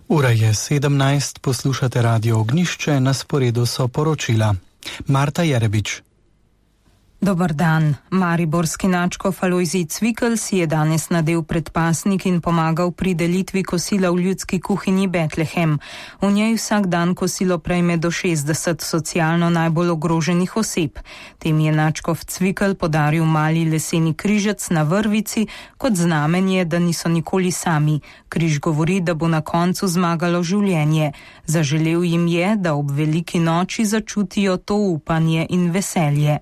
Ura je 17, poslušate Radio Ognjišče, na sporedu so poročila. Marta Jerebič. Dobar dan. Mariborski nadškof Alojzij Cvikl si je danes nadel predpasnik in pomagal pri delitvi kosila v ljudski kuhinji Betlehem. V njej vsak dan kosilo prejme do 60 socialno najbolj ogroženih oseb. Tem je nadškof Cvikl podaril mali leseni križec na vrvici kot znamenje, da niso nikoli sami. Križ govori, da bo na koncu zmagalo življenje. Zaželel jim je, da ob veliki noči začutijo to upanje in veselje.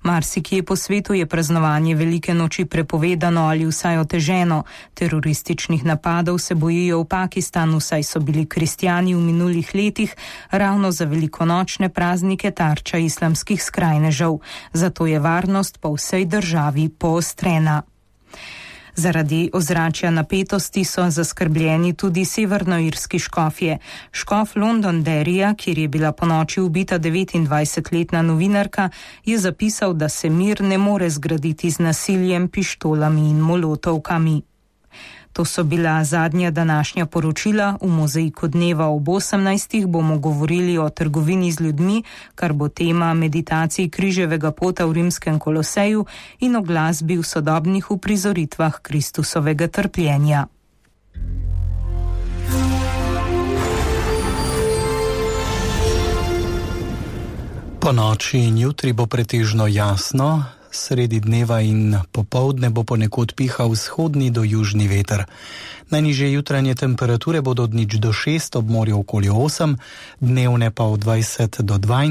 Marsikje po svetu je praznovanje velike noči prepovedano ali vsaj oteženo. Terorističnih napadov se bojijo v Pakistanu, saj so bili kristjani v minulih letih ravno za velikonočne praznike tarča islamskih skrajnežev. Zato je varnost po vsej državi poostrena. Zaradi ozračja napetosti so zaskrbljeni tudi severnoirski škofje. Škof Londonderryja, kjer je bila ponoči ubita 29-letna novinarka, je zapisal, da se mir ne more zgraditi z nasiljem, pištolami in molotovkami. To so bila zadnja današnja poročila. V mozaiku dneva ob 18. bomo govorili o trgovini z ljudmi, kar bo tema meditacij križevega pota v rimskem Koloseju in o glasbi v sodobnih uprizoritvah Kristusovega trpljenja. Po noči in jutri bo pretežno jasno. Sredi dneva in popoldne bo ponekod pihal vzhodni do južni veter. Najnižje jutranje temperature bodo od 0 do 6, ob morju okoli 8, dnevne pa od 20 do 22.